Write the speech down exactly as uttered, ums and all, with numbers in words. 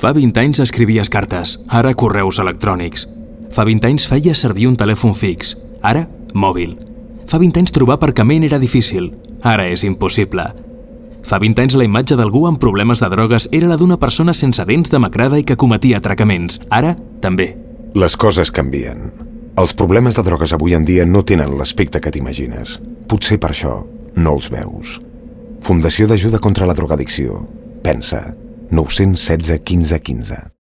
Fa vint anys escrivies cartes, ara correus electrònics. Fa vint anys feies servir un telèfon fix, ara mòbil. Fa vint anys trobar aparcament era difícil, ara és impossible. Fa vint anys la imatge d'algú amb problemes de drogues era la d'una persona sense dents demacrada i que cometia atracaments, ara també. Les coses canvien. Els problemes de drogues avui en dia no tenen l'aspecte que t'imagines. Potser per això no els veus. Fundació d'Ajuda contra la Drogadicció. Pensa. nou cents setze quinze quinze.